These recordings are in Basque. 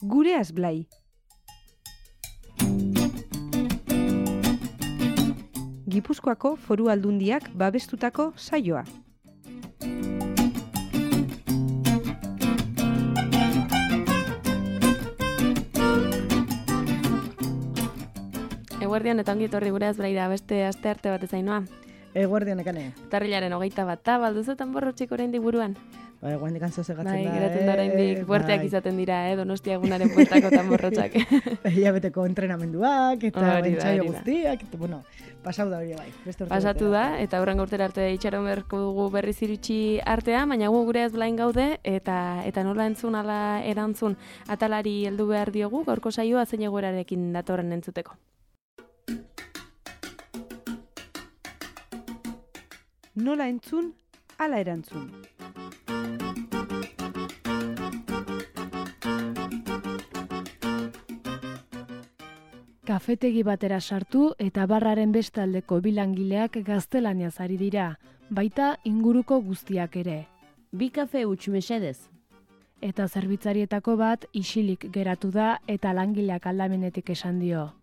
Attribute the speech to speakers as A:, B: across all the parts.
A: Gureaz Blai. Gipuzkoako Foru Aldundiak babestutako saioa.
B: Eguerdian eta ongi etorri Gureaz Blaira beste astearte bat ezainoa.
C: Eguerdian ekane.
B: Urtarrilaren 21 balduzu tanborrotxik oraindik buruan.
C: Bai, guaindik antzozegatzen da.
B: Bai, geratzen da oraindik puerteak izaten dira, Donostia egunaren puertako tanborrotxak.
C: Hilabeteko entrenamenduak eta
B: Hori da,
C: entsaio
B: hori da.
C: guztiak, eta bueno, pasau da hori bai.
B: Pasatu da, eta hurrengo urtera arte itxaron beharko dugu berriz iritsi artea, baina gu Gureaz Blain gaude, eta nola entzun ala erantzun atalari heldu behar diogu, gaurko saioa zein egoerarekin datorren entzuteko.
A: Nola entzun, ala erantzun.
D: Kafetegi batera sartu eta barraren bestaldeko bilangileak gaztelaniaz ari dira, baita inguruko guztiak ere.
E: Bi kafe huts mesedez.
D: Eta zerbitzarietako bat isilik geratu da eta langileak aldamenetik esan dio.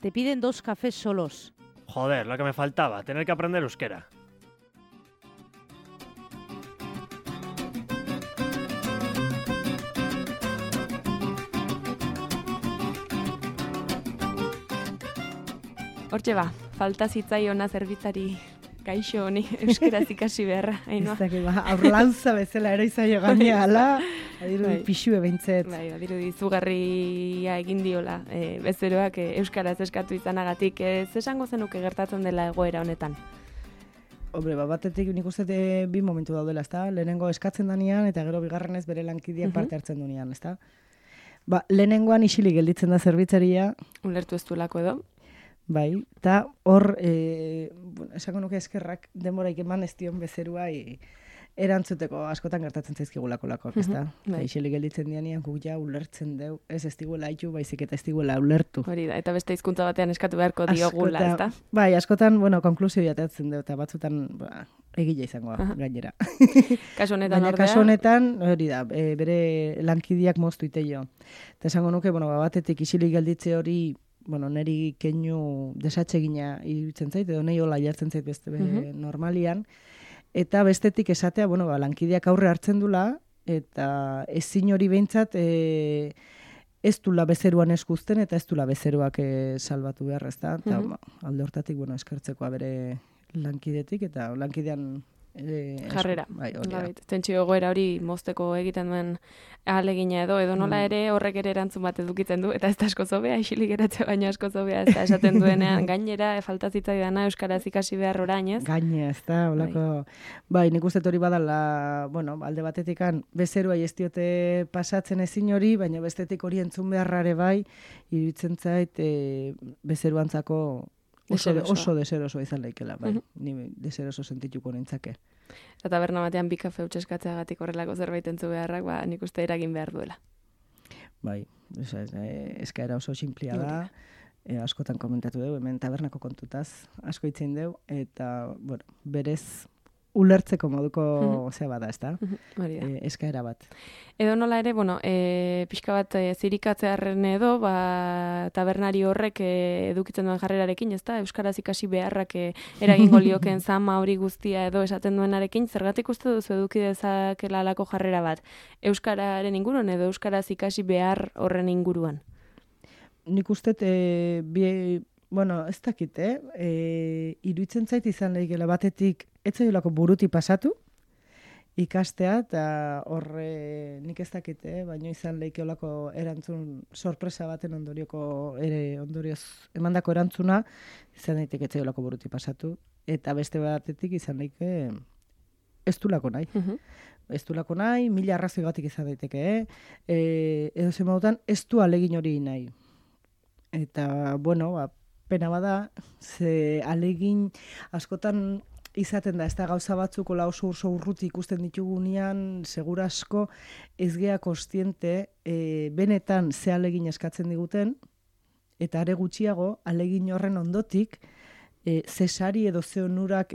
E: Te piden 2 cafés solos.
F: Joder, lo que me faltaba, tener que aprender euskera.
B: Hortxe ba, falta zitzaiona zerbitzari gaixo honi euskaraz ikasi beharra, Ainhoa.
C: Ez dakit, aurlantza bezala ere izaio gainea, ala, adiru
B: Bai.
C: pixue behintzet.
B: Bai, badiru izugarria egin diola, bezeroak euskaraz eskatu izanagatik, ez esango zenuke gertatzen dela egoera honetan.
C: Hombre, batetik nik uste bi momentu daudela, ezta? Lehenengo eskatzen danean eta gero bigarrenez bere lankideak parte hartzen duenean, ezta? Lehenengoan isilik gelditzen da zerbitzaria,
B: Ulertu ez duelako edo.
C: bai, eta hor, esango nuke eskerrak denboraik eman ez dion bezeruai erantzuteko askotan gertatzen zaizkigulako lakoak, ezta?
B: bai.
C: Isilik gelditzen dianean guk ja ulertzen deu, ez diguela haitu, baizik eta ez diguela ulertu.
B: Hori da, eta beste hizkuntza batean eskatu beharko diogula, ezta?
C: Bai, askotan, askotan jateatzen deu, eta batzutan egile izangoa gainera.
B: Kasu honetan
C: Baina
B: ordea.
C: kasu honetan, hori da, bere lankideak moztu iteio. Eta esango nuke, batetik isilik gelditze hori, neri keinu desatsegina iruditzen zait, edo nahi hola jartzen zait beste normalian, eta bestetik esatea, lankideak aurre hartzen dula, eta ezin hori behintzat ez dula bezeruan eskuzten, eta ez dula bezeruak salbatu behar, ezta? Eta alde hortatik, eskertzekoa bere lankidetik, eta lankidean
B: jarrera.
C: Bai, hori da.
B: Tentsio egoera hori mozteko egiten duen ahalegina edo nola ere horrek ere erantzun bat edukitzen du, eta ez da asko zobea, isilik geratzea baino asko zobea, ez da esaten duenean, gainera falta zitzaidana euskaraz ikasi behar orain, ez?
C: Gaine, ez da, holako, nik uste hori badala, alde batetikan bezeruai ez diote pasatzen ezin hori, baina bestetik hori entzun beharrare bai, iruditzen zait bezeruantzako oso deseroso izan daikela, bai. Ni deseroso sentituko nintzake.
B: Eta taberna batean bi kafe huts eskatzeagatik horrelako zerbait entzu beharrak, nik uste eragin behar duela.
C: Bai, eskaera oso sinplia da, askotan komentatu dugu, hemen tabernako kontutaz asko itzen dugu, eta, berez ulertzeko moduko zeba da, ez da? Eskaera bat.
B: Edo nola ere, pixka bat zirikatzearen edo, tabernari horrek edukitzen duen jarrerarekin, ez da? Euskaraz ikasi beharrak eragingo lioken zama hori guztia edo esaten duenarekin, zergatik uste duzu eduki dezakela alako jarrera bat? Euskararen inguruan edo euskaraz ikasi behar horren inguruan?
C: Nik uste, ez dakit, iruditzen zait izan lehikela batetik, ez zailako buruti pasatu, ikastea, eta horre nik ez dakit, baina izan lehikeolako erantzun sorpresa baten ondorioz emandako erantzuna, izan daiteke ez zailako buruti pasatu, eta beste batetik izan lehike ez du lako nahi. Ez du lako nahi, 1000 arrazoi batik izan daiteke, edo zemautan ez du alegin hori nahi. Eta, pena bada, ze alegin askotan izaten da, ez da gauza batzuk oso urruti ikusten ditugunean, segura asko ez gea kostiente benetan ze alegin eskatzen diguten, eta are gutxiago alegin horren ondotik ze sari edo ze onurak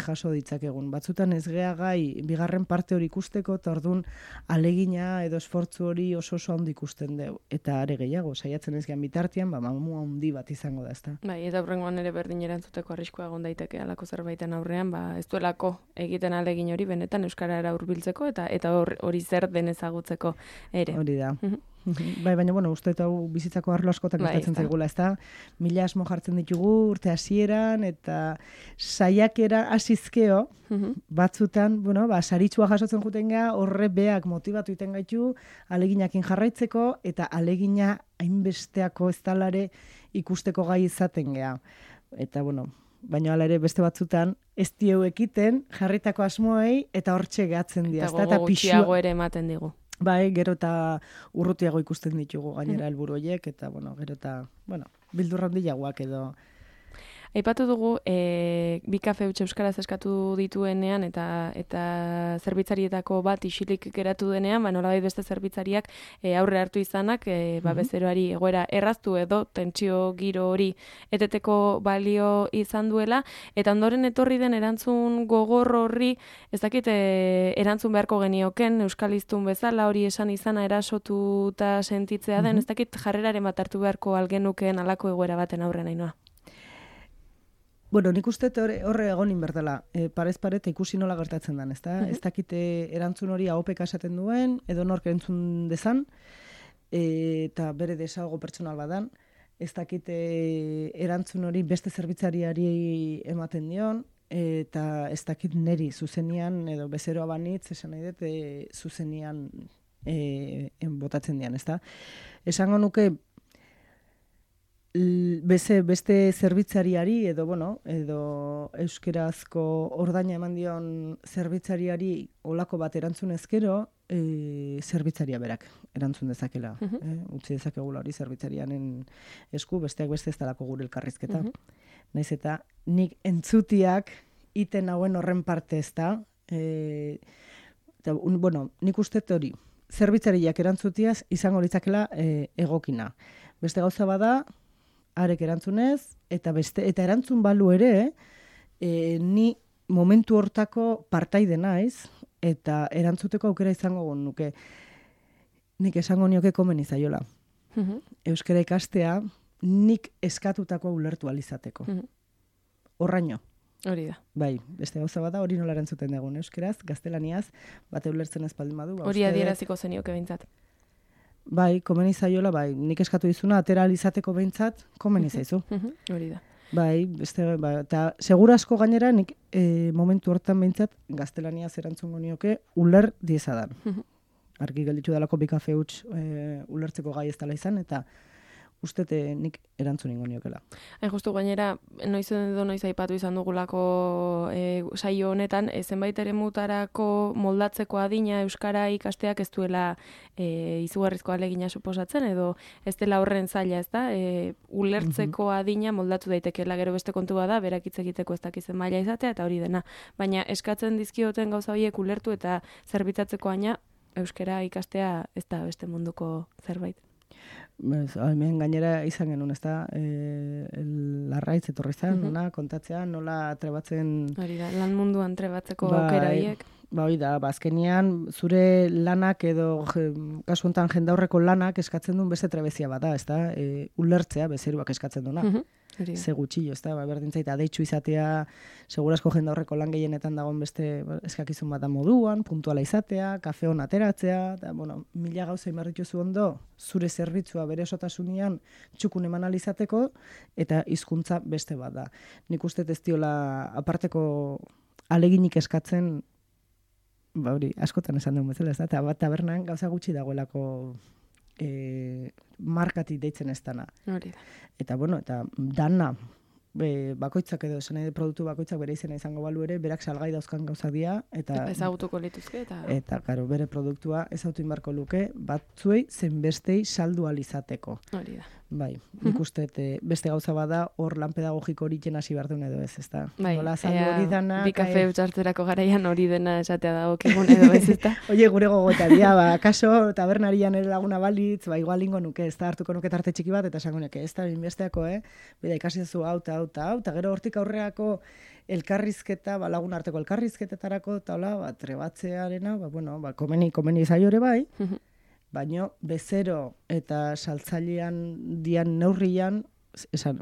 C: jaso ditzakegun. Batzutan ez gea gai bigarren parte hori ikusteko, eta orduan alegina edo esfortzu hori oso handi ikusten dugu. Eta are gehiago, saiatzen ez gean bitartean, mamu handi bat izango da, ezta.
B: Bai, eta horrengoan ere berdin erantzuteko arriskua egon daiteke alako zerbaiten aurrean, ez duelako egiten alegin hori benetan euskarara hurbiltzeko eta hori zer den ezagutzeko ere.
C: Hori da. Bai, baina, uste eta bizitzako arlo askotak gertatzen zaigula, ezta? Mila asmo jartzen ditugu urte hasieran eta saiakera hasizkeo, batzutan, saritsua jasotzen juten gea, horre beak motibatu iten gaitu, aleginakin jarraitzeko, eta alegina hainbesteako ez talare ikusteko gai izaten gea. Eta, baina hala ere beste batzutan, ez dieu ekiten jarritako asmoei, eta hortxe gehatzen dira.
B: Eta gogo gutxiago ere ematen digu.
C: Bai, gero eta urrutiago ikusten ditugu gainera helburu horiek, eta, gero eta, bildurra handiagoak edo.
B: Aipatu dugu, bi kafe huts euskaraz eskatu dituenean eta zerbitzarietako bat isilik geratu denean, nolabait beste zerbitzariak aurre hartu izanak, bezeroari egoera erraztu edo tentsio giro hori eteteko balio izan duela, eta ondoren etorri den erantzun gogor horri, ez dakit erantzun beharko genioken, euskaliztun bezala hori esan izana erasotuta sentitzea den, ez dakit jarreraren bat hartu beharko algenuken alako egoera baten aurren Ainhoa.
C: Nik uste horre egon inbertela, parez paret ikusi nola gertatzen den, ezta? Ez dakite erantzun hori ahopeka esaten duen, edo nork entzun dezan, eta bere desago pertsonal badan, ez dakite erantzun hori beste zerbitzariari ematen dion, eta ez dakit neri zuzenian, edo bezeroa banitz, esan nahi dut, zuzenian botatzen dian, ezta? Esango nuke, beste zerbitzariari edo euskerazko ordaina eman dion zerbitzariari olako bat erantzun ezkero, zerbitzaria berak erantzun dezakela. Utzi dezakegula hori zerbitzarianen esku, besteak beste ez dalako gure elkarrizketa. Naiz eta nik entzutiak iten hauen horren parte ez da. Nik uste hori, zerbitzariak erantzutiaz izango litzakela egokina. Beste gauza bada, arek erantzunez, eta erantzun balu ere, ni momentu hortako partaide naiz, eta erantzuteko aukera izango nuke, nik esango nioke komeni zaiola. Euskara ikastea, nik eskatutako ulertu alizateko. Horraino.
B: Hori da.
C: Bai, beste gauza bada hori nola erantzuten dugun, euskeraz, gaztelaniaz, bate ulertzen ez baldin badu.
B: Hori adieraziko zenioke behintzat.
C: Bai, komeni zaiola, bai, nik eskatu dizuna, atera alizateko behintzat, komeni zaizu.
B: Hori da.
C: Bai, eta segura asko gainera, nik momentu hortan behintzat, gaztelaniaz erantzungo nioke, uler diezadan. Argi gelditu dalako bi kafe huts ulertzeko gai ez dela izan, eta ustete nik erantzun ingo niokela.
B: Justu gainera, noiz aipatu izan dugulako saio honetan, zenbait eremutarako moldatzeko adina euskara ikasteak ez duela izugarrizko ahalegina suposatzen, edo ez dela horren zaila, ez da? Ulertzeko adina moldatu daitekeela, gero beste kontu bada, berak hitz egiteko ez dakizen maila izatea, eta hori dena. Baina eskatzen dizkioten gauza horiek ulertu eta zerbitzatzeko aina, euskara ikastea ez da beste munduko zerbait.
C: Hemen gainera izan genuen, ez da, larraitz etorri zen, kontatzea, nola trebatzen...
B: Hori da, lan munduan trebatzeko aukera horiek.
C: Hori da, azkenean zure lanak edo, kasu honetan jendaurreko lanak eskatzen duen beste trebezia bada, ez da, ulertzea bezeruak eskatzen duena. Ze gutxillo, ez da, berdintzait, adeitzu izatea, segurasko jendaurreko lan gehienetan dagoen beste eskakizun bat da moduan, puntuala izatea, kafe hon ateratzea, eta, mila gauza inbarrituzu ondo, zure zerbitzua bere osotasunean txukun eman alizateko, eta hizkuntza beste bat da. Nik uste ez diola aparteko aleginik eskatzen, hori, askotan esan duen bezala, ez da, eta tabernan gauza gutxi dagoelako markatik deitzen ez dana. Eta, eta dana, bakoitzak edo esan produktu bakoitzak bere izena izango balu ere, berak salgai dauzkan gauzak dira. Eta
B: ezagutuko lituzke.
C: Eta, karo, bere produktua ezautu inbarko luke, batzuei zenbestei saldu alizateko. Bai, nik uste beste gauza bada hor lan pedagogiko horiken hasi behar duen edo ez, ezta?
B: Bai,
C: Nola azaldu hori dana...
B: Bi kafe utxartzerako garaian hori dena esatea dagokigun edo ez, ezta?
C: Oie, gure gogoetaria, kaso tabernarian ere laguna balitz, igual ingo nuke, ez da hartuko nuke tarte txiki bat, eta esango nuke, ez da binbesteako, bida ikasi zu hau, eta gero hortik aurreako elkarrizketa, lagun arteko elkarrizketetarako, eta hola, trebatzearena, komeni zaiore bai, baino bezero eta saltzailean dian neurrian, esan,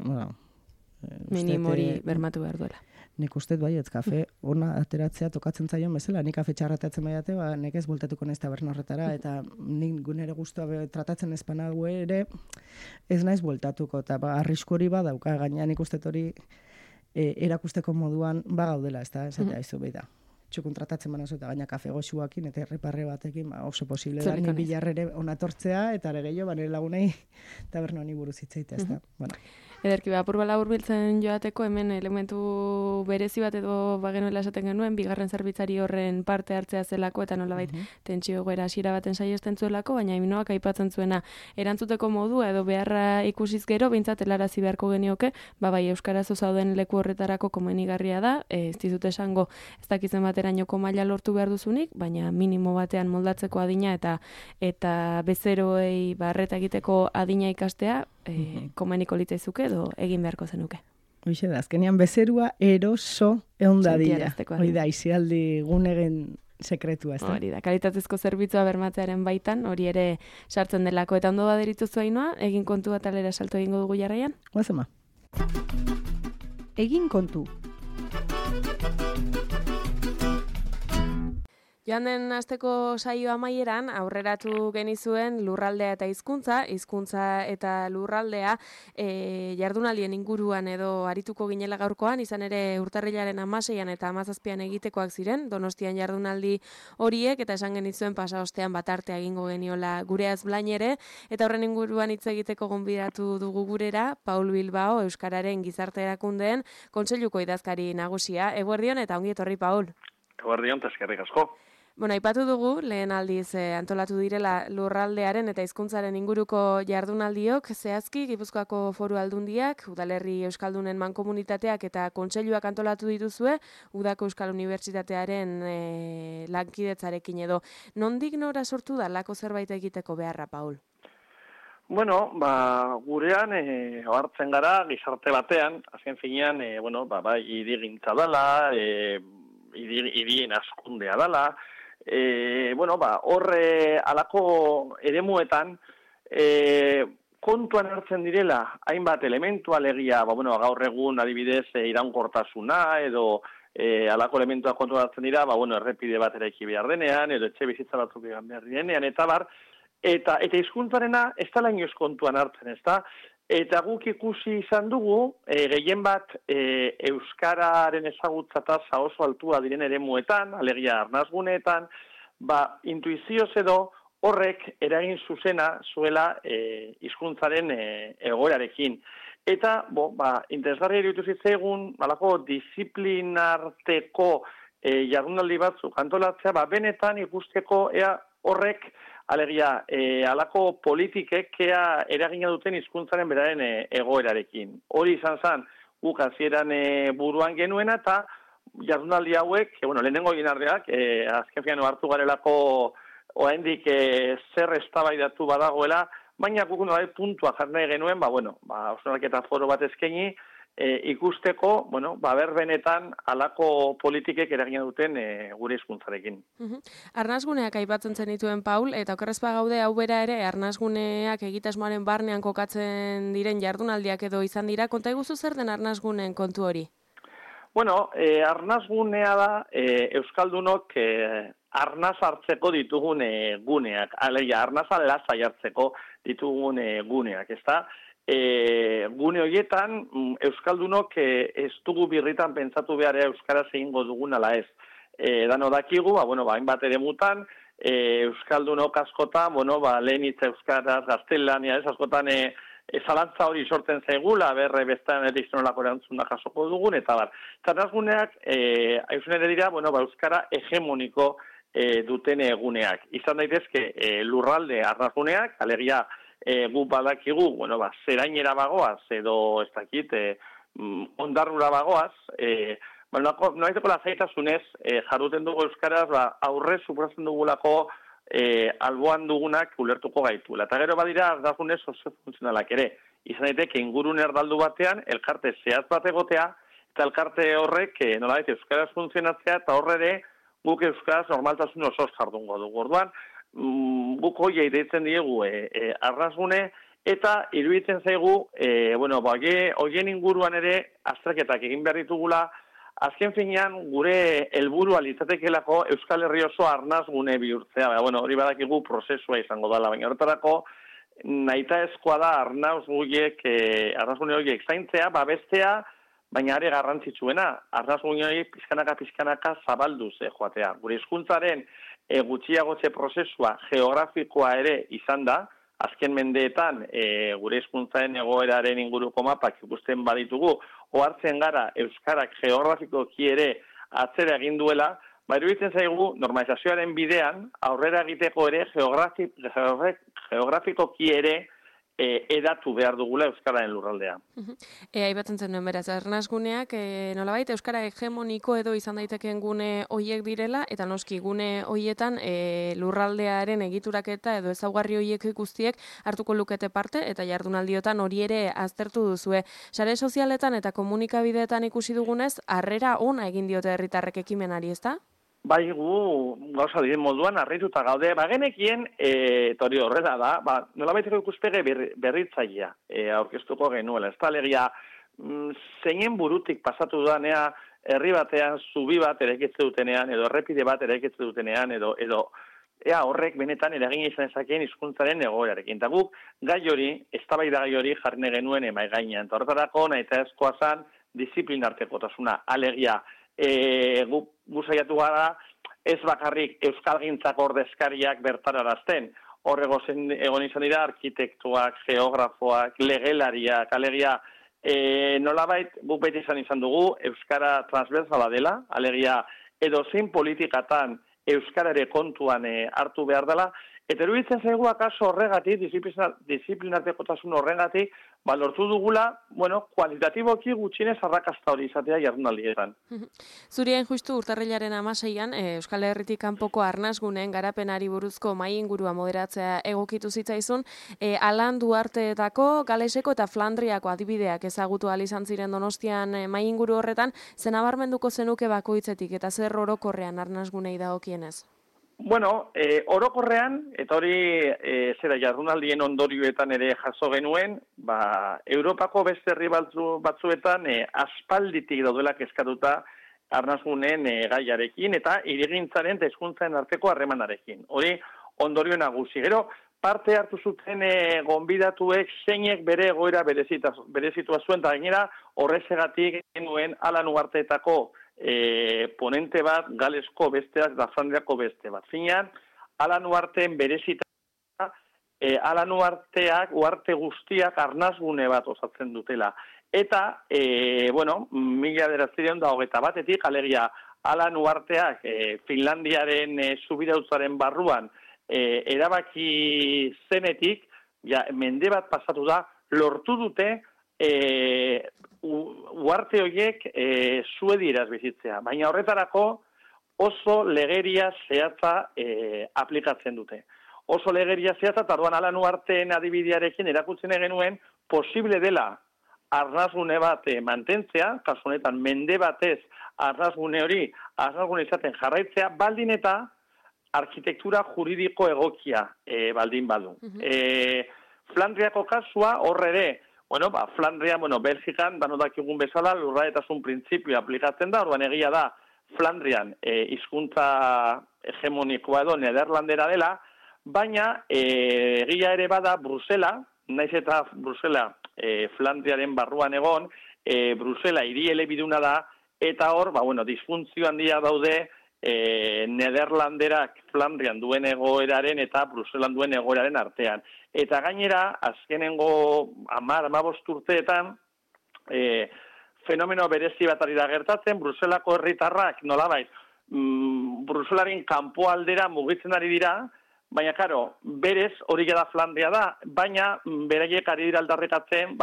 B: minim hori bermatu behar duela.
C: Nik uste bai, ez kafe ona ateratzea tokatzen zaion bezala, nik kafe txarrateatzen baiate, nik ez voltatuko naiz taberna horretara, eta nik gunere guztua tratatzen ezpanago ere, ez naiz voltatuko, eta arrisku hori badauka, gaina nik uste hori erakusteko moduan gaudela, ez da, esatea izu behi da. Txukun tratatzen banazu eta gaina kafe goxuakin eta erreparre batekin oso posible da, ni bilarrere onatortzea eta ere gehiago, nire lagunei taberna honi buruz hitzaita, ez da.
B: Ederki, apur bala hurbiltzen joateko, hemen elementu berezi bat edo bagenuela esaten genuen, bigarren zerbitzari horren parte hartzea zelako, eta nolabait tentsio egoera hasiera baten saiesten zuelako, baina Iminoak aipatzen zuena erantzuteko modua edo beharra ikusiz gero, behintzat helarazi beharko genioke, bai euskarazo zauden leku horretarako komenigarria da, ez dizut esango ez dakizen baterainoko maila lortu behar duzunik, baina minimo batean moldatzeko adina eta bezeroei barreta egiteko adina ikastea, komeniko litzaizuke edo egin beharko zenuke.
C: Hoxe da, azkenean bezerua eroso eundadila. Hoi da, izialdi gunegen sekretua, ez da?
B: Hori da, kalitatezko zerbitzua bermatzearen baitan, hori ere sartzen delako, eta ondo baderituzu Ainoa, egin kontu bat alera salto egingo dugu jarraian?
C: Guazema.
A: Egin kontu.
B: Joan den asteko saio amaieran aurreratu genizuen lurraldea eta hizkuntza eta lurraldea jardunaldien inguruan edo arituko ginela gaurkoan, izan ere urtarrilaren 16an eta 17an egitekoak ziren, Donostian jardunaldi horiek, eta esan genizuen pasaostean batartea egingo geniola Gureaz Blainere, eta horren inguruan hitz egiteko gonbidatu dugu gurera, Paul Bilbao, Euskararen Gizarte Erakundeen Kontseiluko idazkari nagusia. Eguerdion eta ongi etorri, Paul.
G: Eguerdion, eta eskerrik asko.
B: Bueno, aipatu dugu, lehen aldiz antolatu direla lurraldearen eta hizkuntzaren inguruko jardunaldiok, zehazki Gipuzkoako Foru Aldundiak, Udalerri Euskaldunen Mankomunitateak eta Kontseiluak antolatu dituzue, Udako Euskal Unibertsitatearen lankidetzarekin edo. Nondik nora sortu da lako zerbait egiteko beharra, Paul?
G: Bueno, gurean hartzen gara gizarte batean, azken finean, idigintza dela, irien askundea dela, horre alako eremuetan kontuan hartzen direla hainbat elementu alegia, gaur egun adibidez iraunkortasuna edo alako elementuak kontuan hartzen dira, errepide bat eraiki behar denean, edo etxe bizitza batzuk egan behar denean, eta hizkuntzarena ez da lainoz kontuan hartzen, ez da? Eta guk ikusi izan dugu, gehien bat euskararen ezagutza tasa oso altua diren eremuetan, alegia arnazguneetan, intuizioz edo horrek eragin zuzena zuela hizkuntzaren egoerarekin. Eta, interesgarria iruditu zitzaigun, alako disiplinarteko jardunaldi batzuk antolatzea, benetan ikusteko ea horrek alegia, alako politikek eragina duten hizkuntzaren beraren egoerarekin. Hori izan zen, guk hasieran buruan genuena, eta jardunaldi hauek, lehenengo ginardeak, azken fian hartu garelako oraindik zer eztabaidatu badagoela, baina guk puntua jarri genuen, hausnarketa foro bat eskaini, ikusteko, berbenetan alako politikek eragina duten gure hizkuntzarekin.
B: Arnazguneak aipatzen zenituen, Paul, eta okerrezpa gaude hau bera ere, arnazguneak egitasmoaren barnean kokatzen diren jardunaldiak edo izan dira, konta iguzu zer den arnazguneen kontu hori?
G: Arnazgunea da Euskaldunok arnaz hartzeko ditugun guneak, alegia, arnaza lasai hartzeko ditugun guneak, ez da? Gune horietan, Euskaldunok ez dugu birritan pentsatu behar Euskaraz egingo dugun ala ez. Dano dakigu, hainbat eremutan, Euskaldunok askotan, lehen hitz Euskaraz, gaztelania, askotan zalantza hori sortzen zaigula, berre bestan edizionolako erantzuna jasoko dugun, eta bar. Arnazguneak, hausen ere dira, Euskara hegemoniko duten eguneak. Izan daitezke lurralde arnazguneak, alegia gu badakigu, zerainera bagoaz, edo ez dakit, ondarrura bagoaz, noaiteko lasaitasunez jarruten dugu euskaraz, aurre suposatzen dugulako alboan dugunak ulertuko gaituela. Eta gero badira ardagunez oso funtzionalak ere. Izan daiteke ingurun erdaldu batean, elkarte zehatz bat egotea, eta elkarte horrek nolabait euskaraz funtzionatzea, eta horre ere guk euskaraz normaltasun oso jardungo dugu. Orduan, guk hoia deitzen diegu arnasgune, eta iruditzen zaigu, hoien inguruan ere azterketak egin behar ditugula, azken finean gure helburua litzatekelako Euskal Herri oso arnasgune bihurtzea. Hori badakigu prozesua izango dela, baina horretarako nahitaezkoa da arnasgune horiek zaintzea, babestea, baina are garrantzitsuena, arnasgune horiek pizkanaka zabalduz joatea. Gure hizkuntzaren gutxiagotze prozesua geografikoa ere izan da, azken mendeetan gure hizkuntzaren egoeraren inguruko mapak ikusten baditugu, ohartzen gara euskarak geografikoki ere atzera egin duela, iruditzen zaigu normalizazioaren bidean aurrera egiteko ere geografikoki ere edatu behar dugula euskararen lurraldea.
B: Aipatzen zenuen beraz, arnasguneak nolabait euskara hegemoniko edo izan daitekeen gune hoiek direla, eta noski gune hoietan lurraldearen egituraketa edo ezaugarri hoiek guztiek hartuko lukete parte, eta jardunaldiotan hori ere aztertu duzue. Sare sozialetan eta komunikabideetan ikusi dugunez, harrera ona egin diote herritarrek ekimenari, ezta?
G: Bai, gauza diren moduan harrituta gaude, genekien, eta hori horrela da, nolabaiteko ikuspege berritzailea aurkeztuko genuela. Ez da, alegia, zeinen burutik pasatu danea, herri batean, zubi bat eraikitze dutenean, edo errepide bat eraikitze dutenean, edo horrek benetan eragin izan ezakeen hizkuntzaren egoerarekin. Eta guk gai hori, eztabaida gai hori jarri genuen emai gainean. Eta horretarako nahitaezkoa zan disiplinartekotasuna, alegia, gu saiatu gara ez bakarrik euskalgintzako ordezkariak bertararazten. Horrego egon izan dira arkitektuak, geografoak, legelariak, alegia, nolabait guk beti izan dugu euskara transversala dela, alegia edo zein politikatan euskara ere kontuan hartu behar dela, eta eruditzen zaigu akaso horregatik, disiplinartekotasun horregatik, lortu dugula, kualitatiboki gutxienez arrakasta hori izatea jardunaldietan.
B: Zurien justu urtarrilaren 16an, Euskal Herritik kanpoko arnasguneen garapenari buruzko mahai ingurua moderatzea egokitu zitzaizun, Alan Duarteetako, Galeseko eta Flandriako adibideak ezagutu ahal izan ziren Donostian mahai inguru horretan, zen nabarmenduko zenuke bakoitzetik eta zer orokorrean arnasgunei dagokienez?
G: Orokorrean, eta hori jardunaldien ondorioetan ere jaso genuen, Europako beste herri batzuetan aspalditik daudela kezkatuta arnasgunen gaiarekin eta hirigintzaren eta hizkuntzaren arteko harremanarekin. Hori ondorio nagusi. Gero, parte hartu zuten gonbidatuek zeinek bere egoera berezitua zuen, eta gainera horrezegatik genuen Alan Uharteetako ponente bat, Galesko besteak da Flandriako beste bat. Finean, Alan Uharteen berezita, Alan Uharteak, uharte guztiak arnasgune bat osatzen dutela. Eta, 1921etik, alegia, Alan Uharteak Finlandiaren subirautzaren barruan erabaki zenetik, mende bat pasatu da, lortu dute uharte horiek suedieraz bizitzea. Baina horretarako oso legeria zehatza aplikatzen dute. Oso legeria zehatza, eta orduan Alan Uharteen adibidearekin erakutzen genuen posible dela arnasgune bat mantentzea, kasu honetan mende batez arnasgune hori, arnasgune izaten jarraitzea, baldin eta arkitektura juridiko egokia baldin badu. Flandriako kasua horre ere, Flandria, Belgikan, danodakigun bezala, lurraldetasun printzipioa aplikatzen da, orduan egia da, Flandrian hizkuntza hegemonikoa edo nederlandera dela, baina egia ere bada Brusela, naiz eta Brusela Flandriaren barruan egon, Brusela hiri elebiduna da, eta hor, disfuntzio handia daude Nederlanderak Flandrian duen egoeraren eta Bruselan duen egoeraren artean. Eta gainera, azkenengo 10-15 urteetan, fenomeno berezi bat ari da gertatzen, Bruselako herritarrak nolabait, Bruselaren kanpo aldera mugitzen ari dira, baina, karo, berez hori da Flandria da, baina beraiek ari dira aldarrikatzen,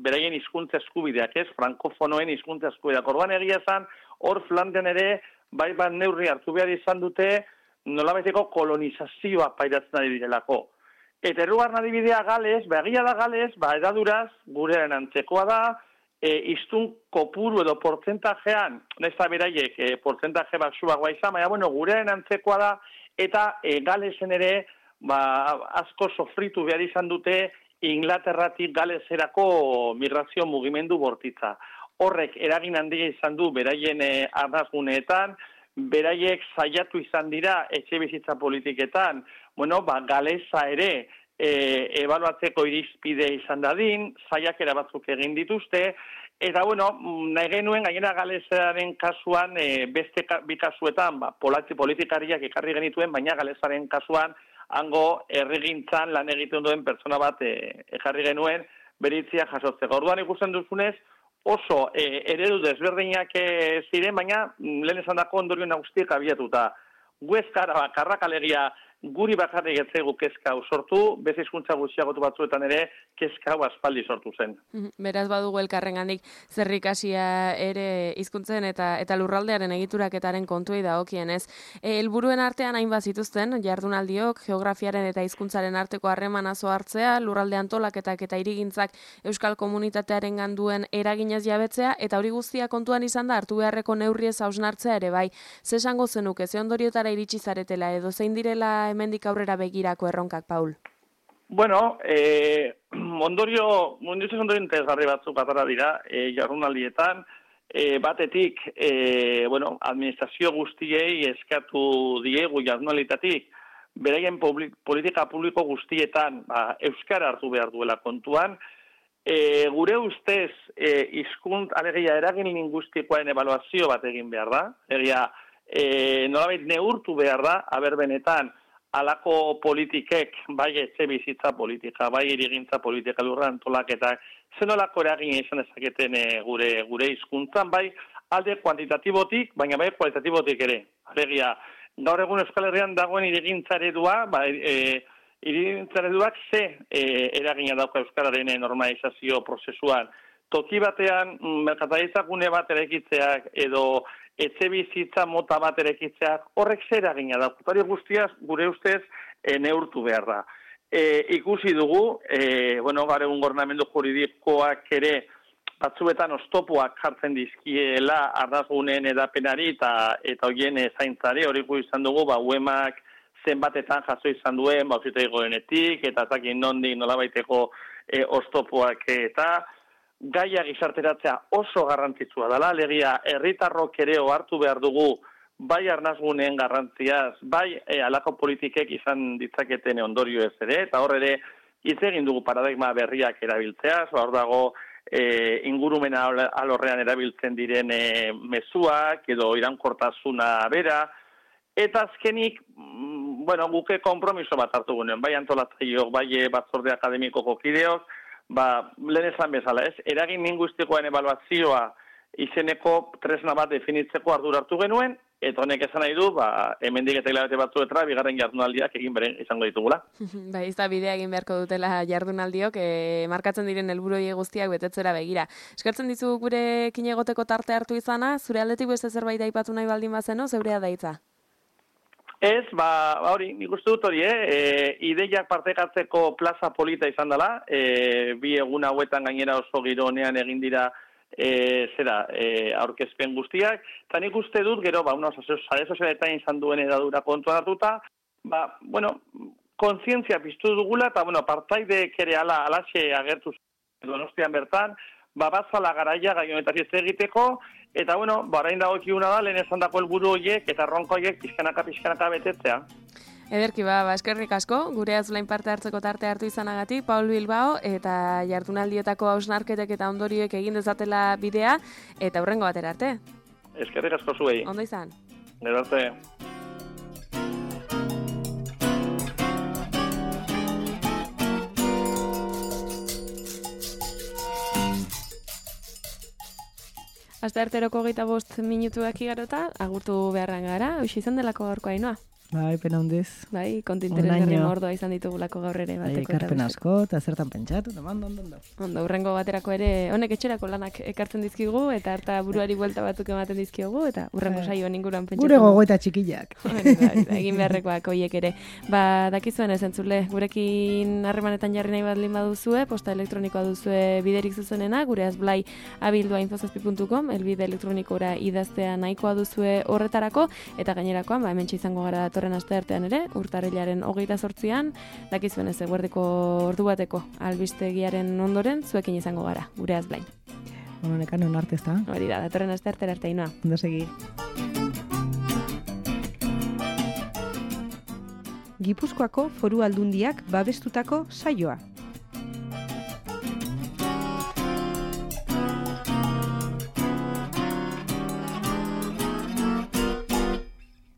G: beraien hizkuntza eskubideak, ez? Frankofonoen hizkuntza eskubideak. Orduan egia esan, hor Flandrian ere, bai bat neurri hartu behar izan dute, nolabaiteko kolonizazioa pairatzen ari direlako. Eta errugarren adibidea Gales, egia da Gales, edaduraz, gurearen antzekoa da, iztun kopuru edo portzentajean, nesta beraiek portzentaje baksuagoa izan, baina, gurearen antzekoa da, eta Galesen ere, asko sofritu behar izan dute Inglaterratik Galeserako migrazio mugimendu bortitza. Horrek eragin handia izan du beraien arnazguneetan, beraiek saiatu izan dira etxe bizitza politiketan, Galesa ere ebaluatzeko irizpide izan dadin, saiakera batzuk egin dituzte, eta nahi genuen gainera Galesaren kasuan, beste bi kasuetan, politikariak ekarri genituen, baina Galesaren kasuan, hango herrigintzan lan egiten duen pertsona bat ekarri genuen, beritzia jasotzeko. Orduan ikusten duzunez, oso eredu desberdinak ziren, baina lehen esan dako ondorio nagustiek abiatuta. Guezkara bakarrak alegia guri bakarrik etzegu kezka sortu, bez hizkuntza gutxiagotu batzuetan ere kezka aspaldi sortu zen.
B: Beraz badugu elkarrengandik zerrikasia ere hizkuntzen eta lurraldearen egituraketaren kontuei dagokienez. Helburuen artean hainbat zituzten jardunaldiok, geografiaren eta hizkuntzaren arteko harremana hartzea, lurralde antolaketak eta hirigintzak euskal komunitatearen duen eraginez jabetzea, eta hori guztia kontuan izan da hartu beharreko neurriez hausnartzea ere bai. Ze esango zenuke, ze ondoriotara iritsi zaretela edo zein direla hemendik aurrera begirako erronkak, Paul?
G: Ondorio interesgarri batzuk atara dira jardunaldietan, batetik, administrazio guztiei eskatu diegu jardunalditatik, beraien politika publiko guztietan euskara hartu behar duela kontuan, gure ustez alegia eragin lingustikoaren ebaluazio bat egin behar da, nolabait neurtu behar da, benetan, alako politikek, bai etxe bizitza politika, bai irigintza politika lurra antolaketak, zenolako eragin izan ezaketen gure hizkuntzan, bai alde kuantitatibotik, baina bai kualitatibotik ere. Alegia, gaur egun Euskal Herrian dagoen irigintza eredua, irigintza ereduak ze eragina dauka Euskararen normalizazio prozesuan. Toki batean, merkataritzakune bat erekitzeak edo etxe bizitza mota bat erekitzeak horrek zer eragina da. Hori guztiaz gure ustez neurtu behar da. Ikusi dugu, gaur egun gobernamendu juridikoak ere batzuetan oztopoak jartzen dizkiela arnazgunen edapenari eta horien zaintzari, hori izan dugu, UEMak zenbatetan jaso izan duen, auzitegi gorenetik, eta zakin nondik nolabaiteko oztopoak eta gaia gizarteratzea oso garrantzitsua dela, alegia herritarrok ere hartu behar dugu bai arnazguneen garrantziaz, bai alako politikek izan ditzaketen ondorio ez ere, eta hor ere hitz egin dugu paradigma berriak erabiltzeaz, hor dago ingurumena alorrean erabiltzen diren mezuak edo irankortasuna bera, eta azkenik, guke konpromiso bat hartu gunen, bai antolatzaileok, bai batzorde akademikoko kideok, lehen esan bezala, eragin lingustikoen ebaluazioa izeneko tresna bat definitzeko ardura hartu genuen, eta honek esan nahi du, hemendik eta hilabete batzuetra, bigarren jardunaldiak egin beren izango ditugula.
B: Ez da bidea egin beharko dutela jardunaldiok, markatzen diren helburoi guztiak betetzera begira. Eskertzen dizu gurekin egoteko tarte hartu izana, zure aldetik beste zerbait aipatu nahi baldin bazeno, zeurea da hitza?
G: Ez, hori, nik uste dut hori, ideiak partekatzeko plaza polita izan dela, bi egun hauetan gainera oso giro honean egin dira aurkezpen guztiak, eta nik uste dut, gero, sare sozialetan izan duen edadura kontuan hartuta, kontzientzia piztu dugula, eta, partaideek ere alaxe agertu Donostian bertan, batzala garaia gai honetaz hitz egiteko, eta, orain dagokiuna da, lehen esan dako helburu horiek, eta erronka horiek pixkanaka betetzea.
B: Ederki eskerrik asko, gure azulain parte hartzeko tarte hartu izanagatik, Paul Bilbao, eta jardunaldietako hausnarketek eta ondorioek egin dezatela bidea, eta hurrengo batera arte.
G: Eskerrik asko zuei.
B: Ondo izan.
G: Gero arte.
B: Astearteroko 25 minutuak igarota, agurtu beharran gara, hoxe izan delako gaurko Ainhoa.
C: Bai, pena hundiz.
B: Bai, kontu interesgarri
C: Onaino.
B: mordoa izan ditugulako gaur ere
C: Bai,
B: bateko eta
C: ekarpen
B: besteko.
C: asko, eta zertan pentsatu, eta ondo.
B: Ondo, hurrengo baterako ere, honek etxerako lanak ekartzen dizkigu, eta harta buruari buelta batzuk ematen dizkiogu, eta hurrengo saioan inguruan pentsatzen.
C: Gure gogoeta txikillak.
B: Egin beharrekoak hoiek ere. Ba, dakizuen ez entzule, gurekin harremanetan jarri nahi bat lima duzue, posta elektronikoa duzue biderik zuzenena, gure azblai@infozazpi.com, elbide elektronikora idaztea nahikoa duzue horretarako, eta gainerakoan, ba, hementxe izango gara datorren asteartean ere, urtarrilaren 28an, dakizuen ez eguerdiko ordu bateko albistegiaren ondoren, zuekin izango gara, gure azblai.
C: Nekan hon arte ez da.
B: Hori da, datorren asteartera arte Ainhoa.
C: Ondo segi.
A: Gipuzkoako Foru Aldundiak babestutako saioa.